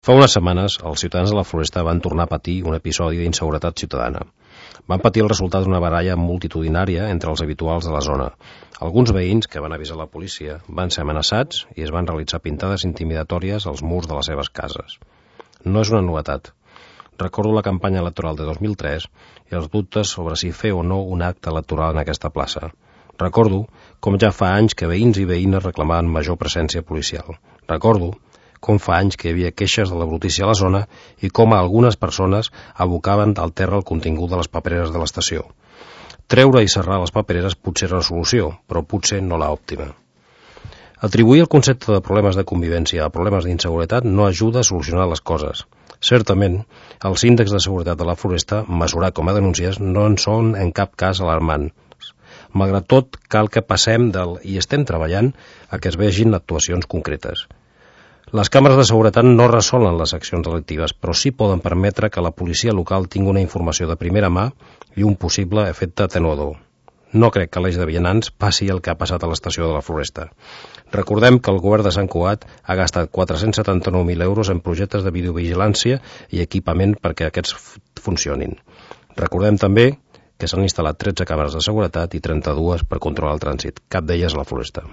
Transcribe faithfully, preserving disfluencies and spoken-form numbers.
Fa unes setmanes, els ciutadans de la Floresta van tornar a patir un episodi d'inseguretat ciutadana. Van patir el resultat d'una baralla multitudinària entre els habituals de la zona. Alguns veïns que van avisar la policia van ser amenaçats i es van realitzar pintades intimidatòries als murs de les seves cases. No és una novetat. Recordo la campanya electoral de dos mil tres i els dubtes sobre si fer o no un acte electoral en aquesta plaça. Recordo com ja fa anys que veïns i veïnes reclamaven major presència policial. Recordo com fa anys que hi havia queixes de la brutícia a la zona i com algunes persones abocaven al terra el contingut de les papereres de l'estació. Treure i serrar les papereres potser era una solució, però potser no l'òptima. Atribuir el concepte de problemes de convivència a problemes d'inseguretat no ajuda a solucionar les coses. Certament, els índexs de seguretat de la Floresta, mesurat com a denúncies, no en són en cap cas alarmants. Malgrat tot, cal que passem del i estem treballant a que es vegin actuacions concretes. Les càmeres de seguretat no resolen les accions delictives, però sí poden permetre que la policia local tingui una informació de primera mà i un possible efecte atenuador. No crec que l'eix de vianants passi el que ha passat a l'estació de la Floresta. Recordem que el govern de Sant Cugat ha gastat quatre-cents setanta-nou mil euros en projectes de videovigilància i equipament perquè aquests funcionin. Recordem també que s'han instal·lat tretze càmeres de seguretat i trenta-dues per controlar el trànsit, cap d'elles a la Floresta.